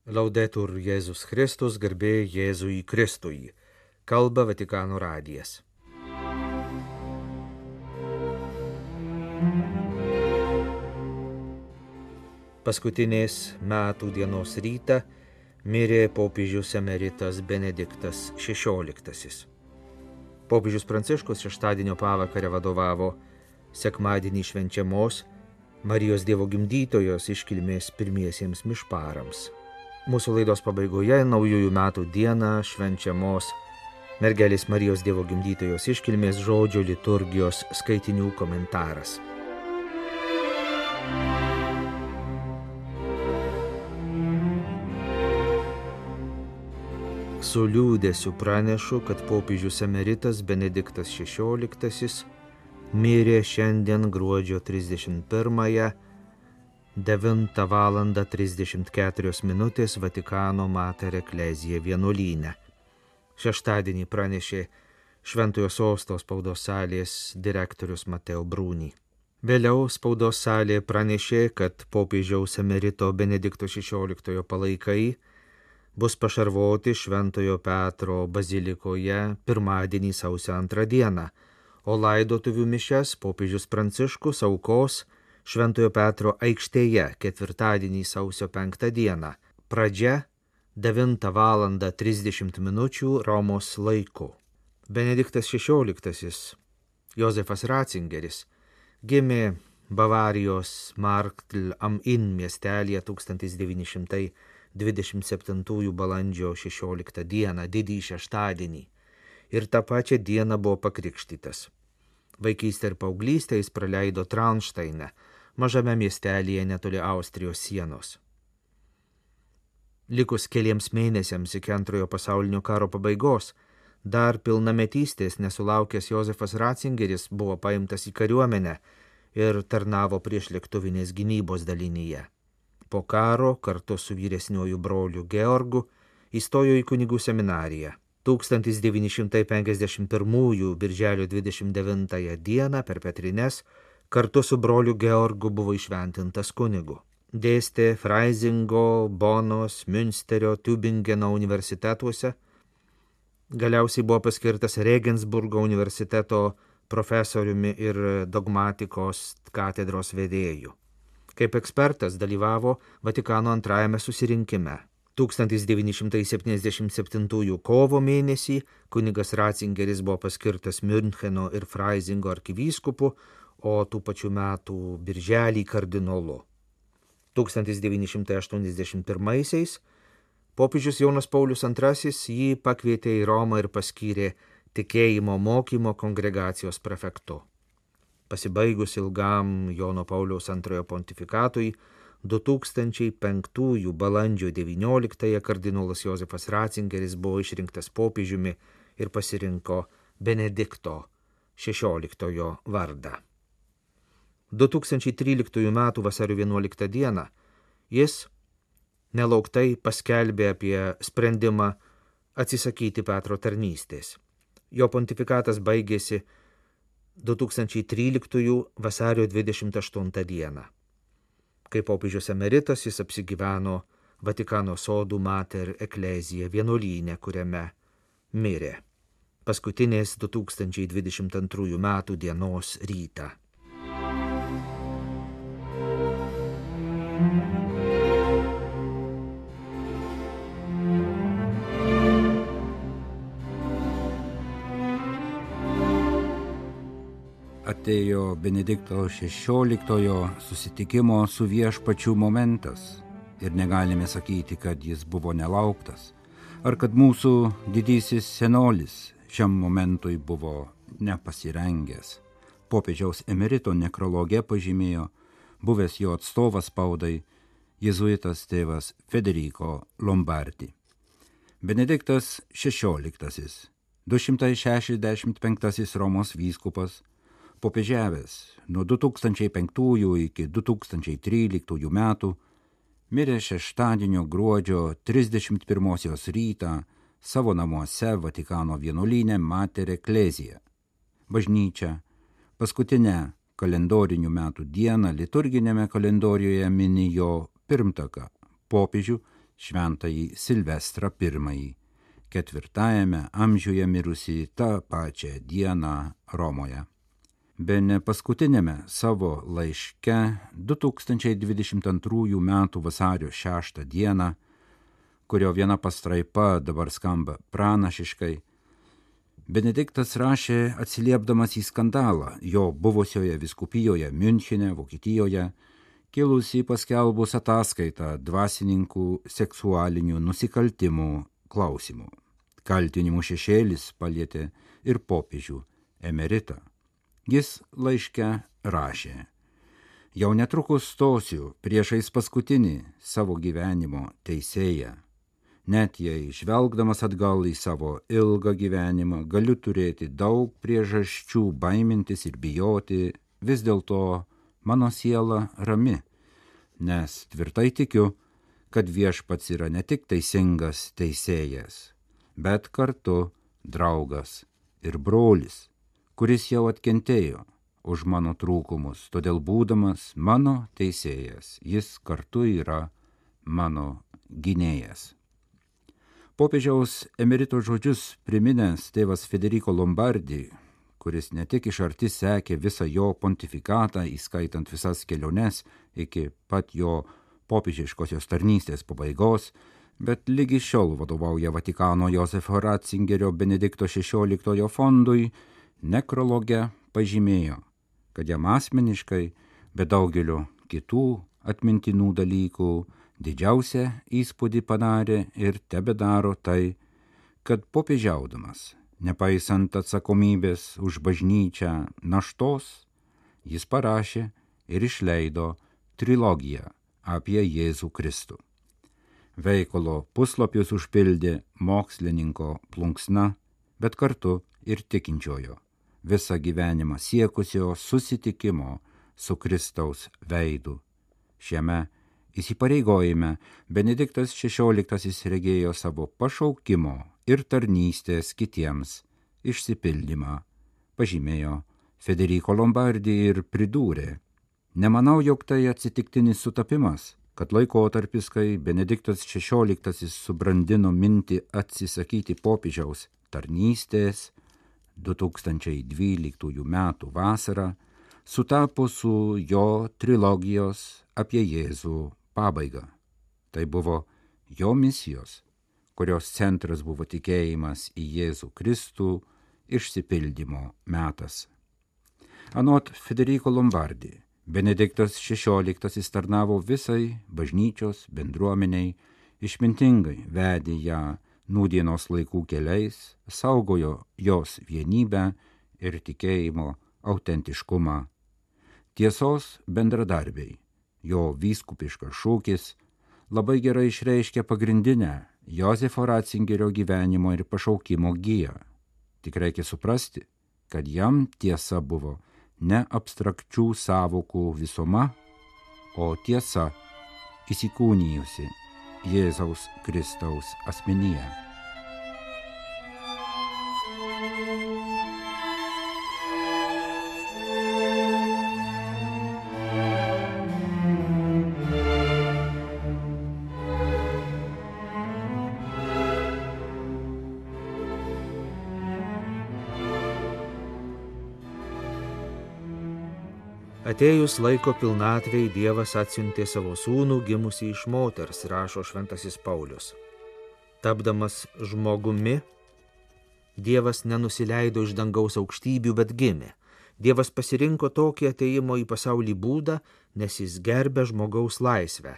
Laudetur Jėzus Kristus, garbė Jėzui Kristui. Kalba Vatikano radijas. Paskutinės metų dienos rytą mirė popiežius emeritas Benediktas XVI. Popiežius Pranciškus šeštadienio pavakarę vadovavo sekmadienį švenčiamos Marijos Dievo gimdytojos iškilmės pirmiesiems mišparams. Mūsų laidos pabaigoje naujųjų metų dieną švenčiamos mergelės Marijos Dievo gimdytojos iškilmės žodžio liturgijos skaitinių komentaras. Su liūdesiu pranešu, kad popiežius emeritas Benediktas XVI mirė šiandien gruodžio 31-ąją 9:34 Vatikano Mater Ecclesiae vienuolyne. Šeštadienį pranešė Šventojo Sosto spaudos salės direktorius Mateo Bruni. Vėliau spaudos salė pranešė, kad popiežiaus emerito Benedikto XVI palaikai bus pašarvoti Šventojo Petro bazilikoje pirmadienį sausio 2 dieną, o laidotuvių mišias popiežius Pranciškus aukos Šventojo Petro aikštėje ketvirtadienį sausio 5 dieną. Pradžia 9:30 Romos laiku. Benediktas XVI, Josefas Ratzingeris, gimė Bavarijos Marktl am Inn miestelyje 1927 balandžio 16 dieną, didįjį šeštadienį, ir tą pačią dieną buvo pakrikštytas. Vaikystę ir paauglystę jis praleido Traunšteine, mažame miestelyje netoli Austrijos sienos. Likus keliems mėnesiams iki Antrojo pasaulinio karo pabaigos, dar pilnametystės nesulaukęs Josefas Ratzingeris buvo paimtas į kariuomenę ir tarnavo priešlėktuvinės gynybos dalinyje. Po karo kartu su vyresniuoju broliu Georgu įstojo į kunigų seminariją. 1951 birželio 29 dieną per Petrines kartu su broliu Georgu buvo įšventintas kunigu. Dėstė Freisingo, Bonos, Münsterio, Tübingeno universitetuose. Galiausiai buvo paskirtas Regensburgo universiteto profesoriumi ir dogmatikos katedros vedėju. Kaip ekspertas dalyvavo Vatikano antrajame susirinkime. 1977 kovo mėnesį kunigas Ratzingeris buvo paskirtas Müncheno ir Freisingo arkivyskupu, o tų pačių metų birželį kardinolu. 1981 popiežius Jonas Paulius II jį pakvietė į Romą ir paskyrė tikėjimo mokymo kongregacijos prefektu. Pasibaigus ilgam Jono Pauliaus II pontifikatui, 2005 balandžio 19 kardinolas Josefas Ratzingeris buvo išrinktas popiežiumi ir pasirinko Benedikto XVI vardą. 2013 m. vasario 11 dieną jis nelauktai paskelbė apie sprendimą atsisakyti Petro tarnystės. Jo pontifikatas baigėsi 2013 vasario 28 dieną. Kaip popiežius emeritas jis apsigyveno Vatikano sodų Mater Ecclesiae vienuolyne, kuriame mirė paskutinės 2022 m. dienos rytą. Atėjo Benedikto XVI susitikimo su viešpačiu momentas ir negalime sakyti, kad jis buvo nelauktas, ar kad mūsų didysis senolis šiam momentui buvo nepasirengęs. Popiežiaus emerito nekrologe pažymėjo buvęs jo atstovas spaudai jėzuitas tėvas Federico Lombardi. Benediktas XVI, 265 Romos vyskupas, popiežiavęs nuo 2005 iki 2013 metų, mirė šeštadienio gruodžio 31 rytą savo namuose Vatikano vienuolyne Mater Ecclesiae. Bažnyčia paskutinę kalendorinių metų dieną liturginėme kalendorijoje mini jo pirmtaką, popiežių šventąjį Silvestrą I, 4 amžiuje mirusį tą pačią dieną Romoje. Bene paskutinėme savo laiške 2022 m. vasario 6 dieną, kurio viena pastraipa dabar skamba pranašiškai, Benediktas rašė atsiliepdamas į skandalą jo buvusioje vyskupijoje Miunchene, Vokietijoje, kilusį paskelbus ataskaitą dvasininkų seksualinių nusikaltimų klausimų. Kaltinimų šešėlis palietė ir popiežių emeritą. Jis laiške rašė: jau netrukus stosiu priešais paskutinį savo gyvenimo teisėją. Net jei žvelgdamas atgal į savo ilgą gyvenimą galiu turėti daug priežasčių baimintis ir bijoti, vis dėlto mano siela rami, nes tvirtai tikiu, kad Viešpats yra ne tik teisingas teisėjas, bet kartu draugas ir brolis, kuris jau atkentėjo už mano trūkumus, todėl būdamas mano teisėjas, jis kartu yra mano gynėjas. Popiežiaus emerito žodžius priminęs tėvas Federico Lombardi, kuris ne tik iš arti sekė visą jo pontifikatą, įskaitant visas keliones iki pat jo popiežiškosios tarnystės pabaigos, bet lygi šiol vadovauja Vatikano Josefo Ratzingerio Benedikto XVI fondui, nekrologe pažymėjo, kad jam asmeniškai, be daugelio kitų atmintinų dalykų, didžiausią įspūdį padarė ir tebedaro tai, kad popiežiaudamas, nepaisant atsakomybės už bažnyčią naštos, jis parašė ir išleido trilogiją apie Jėzų Kristų. Veikalo puslapius užpildė mokslininko plunksna, bet kartu ir tikinčiojo, visą gyvenimą siekusio susitikimo su Kristaus veidu. Šiame įsipareigojime Benediktas XVI regėjo savo pašaukimo ir tarnystės kitiems išsipildymą, pažymėjo Federico Lombardi ir pridūrė: nemanau, jog tai atsitiktinis sutapimas, kad laikotarpis, kai Benediktas XVI subrandino mintį atsisakyti popiežiaus tarnystės 2012 m. vasarą, sutapo su jo trilogijos apie Jėzų pabaiga. Tai buvo jo misijos, kurios centras buvo tikėjimas į Jėzų Kristų išsipildymo metas. Anot Federico Lombardi, Benediktas XVI tarnavo visai bažnyčios bendruomeniai, išmintingai vedė ją nūdienos laikų keliais, saugojo jos vienybę ir tikėjimo autentiškumą. Tiesos bendradarbiai, jo vyskupiškas šūkis, labai gerai išreiškia pagrindinę Josefo Ratzingerio gyvenimo ir pašaukimo giją. Tik reikia suprasti, kad jam tiesa buvo ne abstrakčių sąvokų visuma, o tiesa įsikūnijusi Jėzaus Kristaus asmenyje. Atėjus laiko pilnatvei Dievas atsiuntė savo sūnų gimusį iš moters, rašo šventasis Paulius. Tapdamas žmogumi, Dievas nenusileido iš dangaus aukštybių, bet gimė. Dievas pasirinko tokį atėjimo į pasaulį būdą, nes jis gerbė žmogaus laisvę,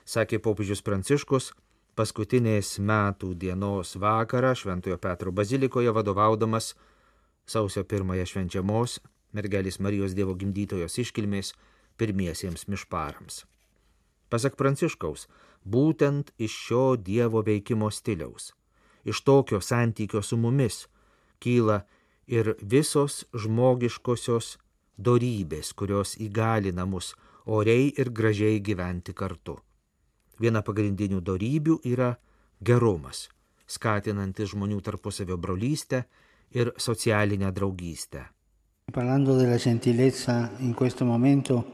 sakė popiežius Pranciškus paskutinės metų dienos vakarą Šventojo Petro bazilikoje vadovaudamas sausio 1 švenčiamos mergelės Marijos Dievo gimdytojos iškilmės pirmiesiems mišparams. Pasak Pranciškaus, būtent iš šio Dievo veikimo stiliaus, iš tokio santykio su mumis, kyla ir visos žmogiškosios dorybės, kurios įgalina mus oriai ir gražiai gyventi kartu. Viena pagrindinių dorybių yra gerumas, skatinantis žmonių tarpusavio brolystę ir socialinę draugystę. Parlando della gentilezza in questo momento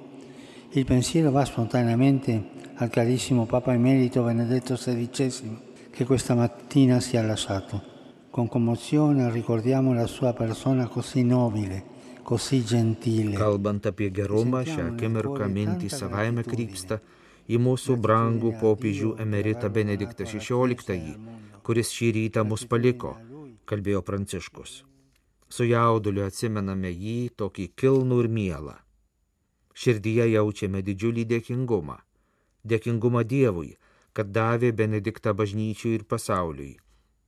Il pensiero va spontaneamente al carissimo Papa Emerito Benedetto XVI, che questa mattina ci ha lasciato. Con commozione ricordiamo la sua persona così nobile, così gentile. Kalbant apie gerumą, šią akimirką mintys savaime krypsta į mūsų brangų popiežių emeritą Benediktą XVI, kuris šį rytą mus paliko, kalbėjo Pranciškus. Su jauduliu atsimename jį tokį kilnų ir mielą. Širdyje jaučiame didžiulį dėkingumą. Dėkingumą Dievui, kad davė Benediktą bažnyčiui ir pasauliui.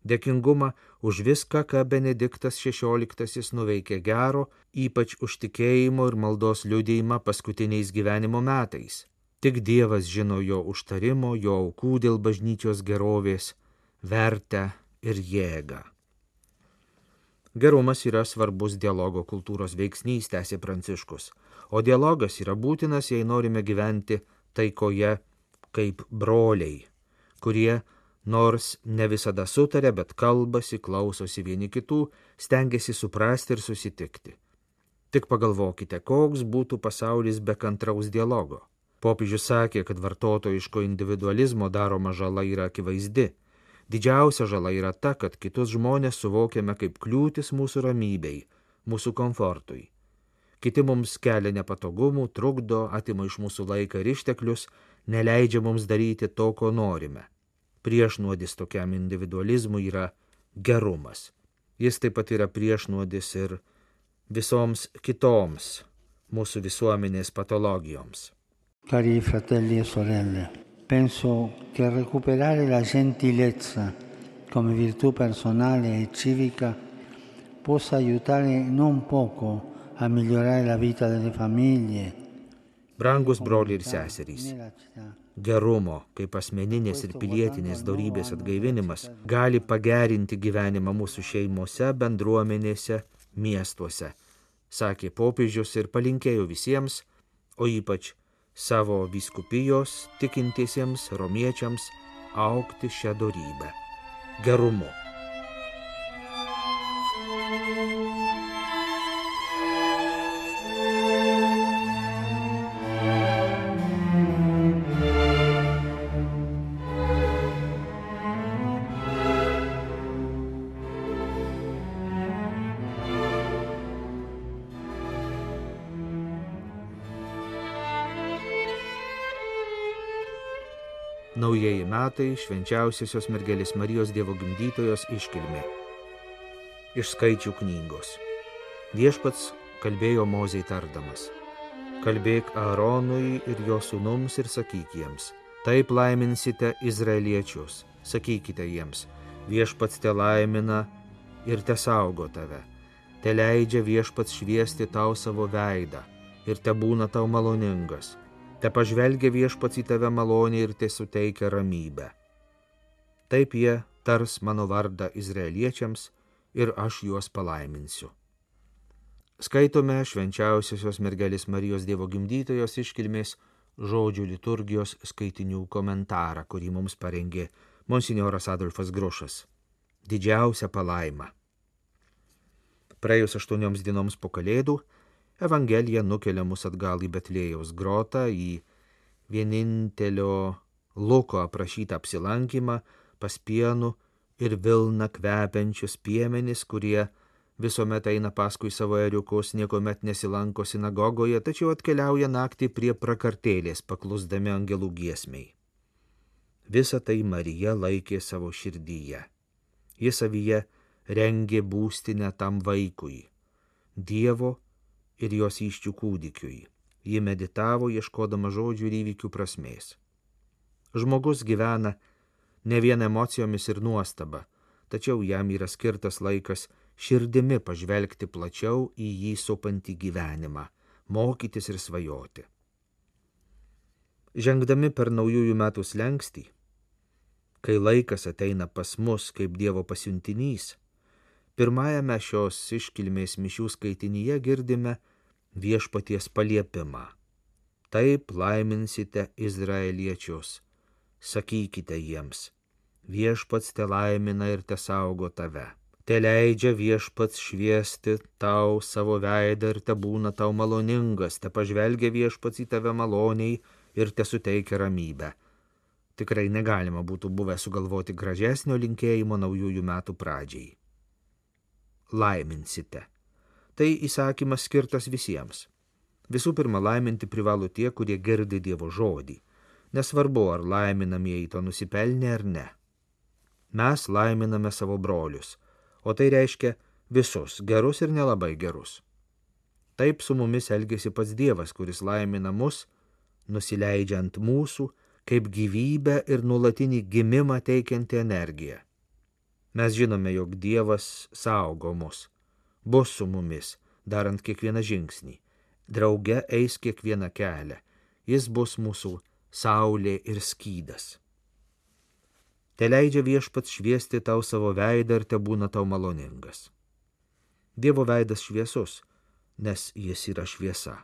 Dėkingumą už viską, ką Benediktas XVI nuveikė gero, ypač už tikėjimo ir maldos liudijimą paskutiniais gyvenimo metais. Tik Dievas žino jo užtarimo, jo aukų dėl bažnyčios gerovės, vertę ir jėgą. Gerumas yra svarbus dialogo kultūros veiksnys, tęsė Pranciškus, o dialogas yra būtinas, jei norime gyventi taikoje kaip broliai, kurie nors ne visada sutarė, bet kalbasi, klausosi vieni kitų, stengiasi suprasti ir susitikti. Tik pagalvokite, koks būtų pasaulis be kantraus dialogo. Popiežius sakė, kad vartotojiško individualizmo daroma žala yra akivaizdi. Didžiausia žala yra ta, kad kitus žmonės suvokiame kaip kliūtis mūsų ramybei, mūsų komfortui. Kiti mums kelia nepatogumų, trukdo, atima iš mūsų laiką ir išteklius, neleidžia mums daryti to, ko norime. Priešnuodis tokiam individualizmui yra gerumas. Jis taip pat yra priešnuodis ir visoms kitoms mūsų visuomenės patologijoms. Cari fratelli e sorelle, penso che recuperare la gentilezza come virtù personale e civica possa aiutare non poco a migliorare la vita delle famiglie. Brangus broliai ir seserys, gerumo kaip asmeninės ir pilietinės dorybės atgaivinimas gali pagerinti gyvenimą mūsų šeimose, bendruomenėse, miestuose, sakė popiežius ir palinkėjo visiems, o ypač savo vyskupijos tikintiesiems romiečiams augti šią dorybę – gerumu. Naujieji metai – švenčiausiosios mergelės Marijos Dievo gimdytojos iškilmė. Iš skaičių knygos. Viešpats kalbėjo Mozei tardamas: kalbėk Aaronui ir jo sūnums ir sakyk jiems: taip laiminsite izraeliečius, sakykite jiems: viešpats te laimina ir te saugo tave, te leidžia viešpats šviesti tau savo veidą ir te būna tau maloningas. Te pažvelgia viešpats į tave maloniai ir te suteikia ramybę. Taip jie tars mano vardą izraeliečiams ir aš juos palaiminsiu. Skaitome švenčiausiosios mergelės Marijos Dievo gimdytojos iškilmės žodžių liturgijos skaitinių komentarą, kurį mums parengė monsinjoras Adolfas Grušas. Didžiausia palaima. Praėjus 8 dienoms po Kalėdų, Evangelija nukelia mus atgal į Betlėjaus grotą, į vienintelio Luko aprašytą apsilankymą pas pienų ir vilną kvepiančius piemenis, kurie visuomet eina paskui savo ėriukus, niekuomet nesilanko sinagogoje, tačiau atkeliauja naktį prie prakartėlės, paklusdami angelų giesmei. Visą tai Marija laikė savo širdyje. Ji savyje rengė būstinę tam vaikui, Dievo ir jos įsčių kūdikiui. Ji meditavo, ieškodama žodžių ir įvykių prasmės. Žmogus gyvena ne vien emocijomis ir nuostaba, tačiau jam yra skirtas laikas širdimi pažvelgti plačiau į jį supantį gyvenimą, mokytis ir svajoti. Žengdami per naujųjų metų slenkstį, kai laikas ateina pas mus kaip Dievo pasiuntinys, pirmajame šios iškilmės mišių skaitinyje girdime viešpaties paliepimą. Taip laiminsite izraeliečius, sakykite jiems: viešpats te laimina ir te saugo tave, Te leidžia viešpats šviesti tau savo veidą ir te būna tau maloningas, te pažvelgia viešpats į tave maloniai ir te suteikia ramybę. Tikrai negalima būtų buvę sugalvoti gražesnio linkėjimo naujųjų metų pradžiai. Laiminsite. Tai įsakymas skirtas visiems. Visų pirma, laiminti privalo tie, kurie girdi Dievo žodį. Nesvarbu, ar laiminamieji to nusipelnė ar ne. Mes laiminame savo brolius, o tai reiškia visus, gerus ir nelabai gerus. Taip su mumis elgėsi pats Dievas, kuris laimina mus, nusileidžia ant mūsų, kaip gyvybę ir nuolatinį gimimą teikianti energiją. Mes žinome, jog Dievas saugo mus, bus su mumis, darant kiekvieną žingsnį, drauge eis kiekvieną kelią, jis bus mūsų saulė ir skydas. Te leidžia viešpats šviesti tau savo veidą ir te būna tau maloningas. Dievo veidas šviesus, nes jis yra šviesa.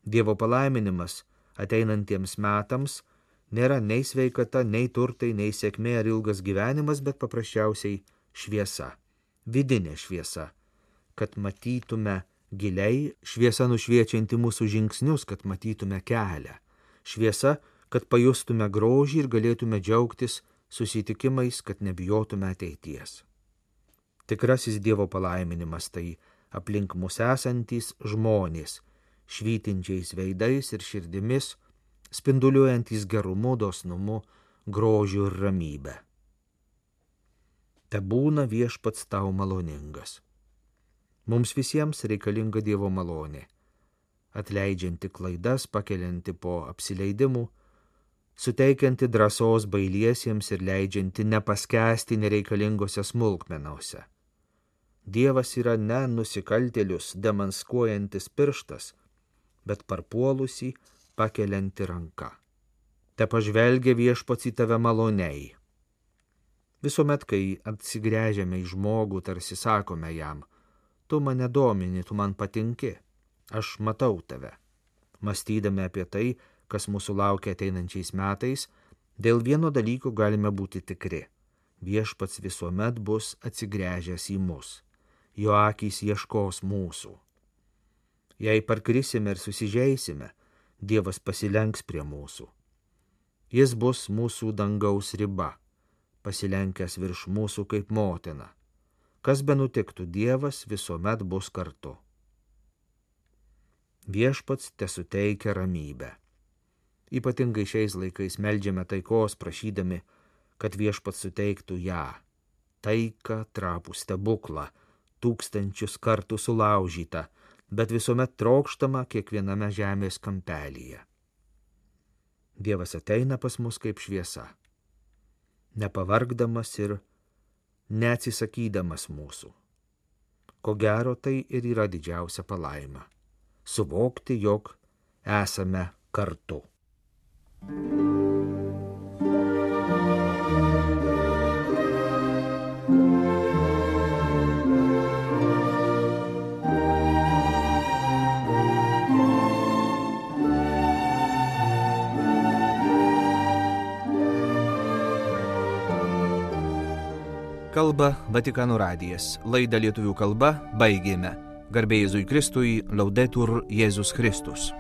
Dievo palaiminimas ateinantiems metams nėra nei sveikata, nei turtai, nei sėkmė ar ilgas gyvenimas, bet paprasčiausiai šviesa, vidinė šviesa, kad matytume giliai, šviesa nušviečianti mūsų žingsnius, kad matytume kelią, šviesa, kad pajustume grožį ir galėtume džiaugtis susitikimais, kad nebijotume ateities. Tikrasis Dievo palaiminimas tai aplink mus esantys žmonės, švytinčiais veidais ir širdimis, spinduliuojantys gerumu, dosnumu, grožiu ir ramybę. Te būna viešpats tau maloningas. Mums visiems reikalinga Dievo malonė, atleidžianti klaidas, pakelianti po apsileidimų, suteikianti drąsos bailiesiems ir leidžianti nepaskęsti nereikalingose smulkmenose. Dievas yra ne nusikaltėlius demaskuojantis pirštas, bet parpuolusį pakelianti ranka. Te pažvelgia viešpats į tave maloniai. Visuomet, kai atsigręžiame į žmogų, tarsi sakome jam, tu mane domini, tu man patinki, aš matau tave. Mąstydami apie tai, kas mūsų laukia ateinančiais metais, dėl vieno dalyko galime būti tikri. Viešpats visuomet bus atsigręžęs į mus. Jo akys ieškos mūsų. Jei parkrisime ir susižeisime, Dievas pasilenks prie mūsų. Jis bus mūsų dangaus riba, pasilenkęs virš mūsų kaip motina. Kas benutiktų, Dievas visuomet bus kartu. Viešpats tesuteikia ramybę. Ypatingai šiais laikais meldžiame taikos, prašydami, kad viešpats suteiktų ją. Taiką, trapų stebuklą, tūkstančius kartų sulaužytą, bet visuomet trokštama kiekviename žemės kampelyje. Dievas ateina pas mus kaip šviesa, nepavargdamas ir neatsisakydamas mūsų. Ko gero, tai ir yra didžiausia palaima – suvokti, jog esame kartu. Kalba Vatikano radijas. Laidą lietuvių kalba baigėme. Garbė Jėzui Kristui, Laudetur Jėzus Kristus.